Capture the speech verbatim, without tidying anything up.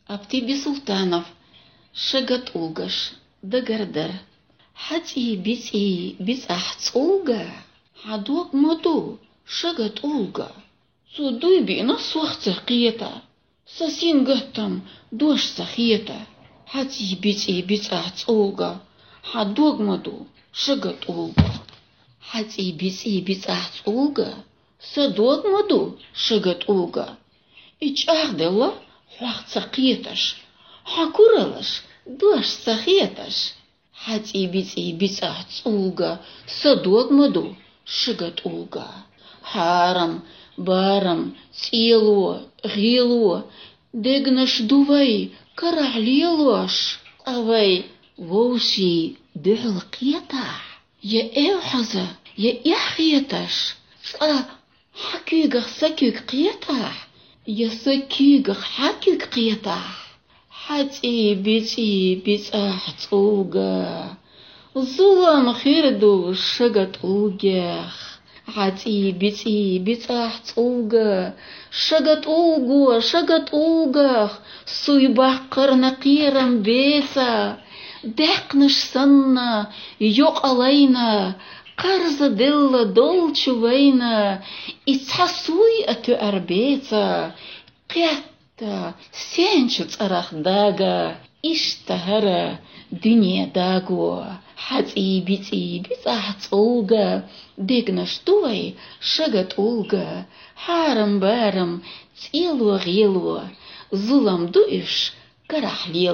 Апти Бисултанов. Шагатӏулгаш. Дагардар. Хьацӏий бицӏий бицӏахь цӏулга, хьа дог ма ду шагатӏулга. Цу дуй биъна сох ца кхета, са син гаттам дош ца хета. Хьацӏий бицӏий бицӏахь цӏулга, хьа дог ма ду шагатӏулга. Хьацӏий бицӏий бицӏахь цӏулга, са дог ма ду шагатӏулга. И чӏагъделла хьох ца кхеташ, хьа куралаш дош ца хеташ. Хьацӏий бицӏий бицӏахь цӏулга, са дог ма ду шагатӏулга. Хьарам, барам, цӏело, гъело, дегнаш ду вай карахь лелош. Къа вай вовший дуьхьал кхетахь, я эвхьаза, я эхь хеташ. Цкъа хьа куьйгах са куьйг кхетахь, я са куьйгах хьа куьйг кхетахь. Хьацӏий бицӏий бицӏахь цӏулга, зулам хир ду шагатӏулгех. Хьацӏий бицӏий бицӏахь цӏулга, шагатӏулго шагатӏулгах, суй баккхарна кхерам беца, даьккхнаш санна йокъалайна, къарза делла долчу вайна, и цхьа суй а тоьар беца, кхетта сенчу цӏарах дага, иштта хӏара дуьне даго. Хьацӏий бицӏий бицӏахь цӏулга, дегнаш ду вай шагатӏулга. Хьарам-барам, цӏело-гъело, зулам ду уьш карахь лело.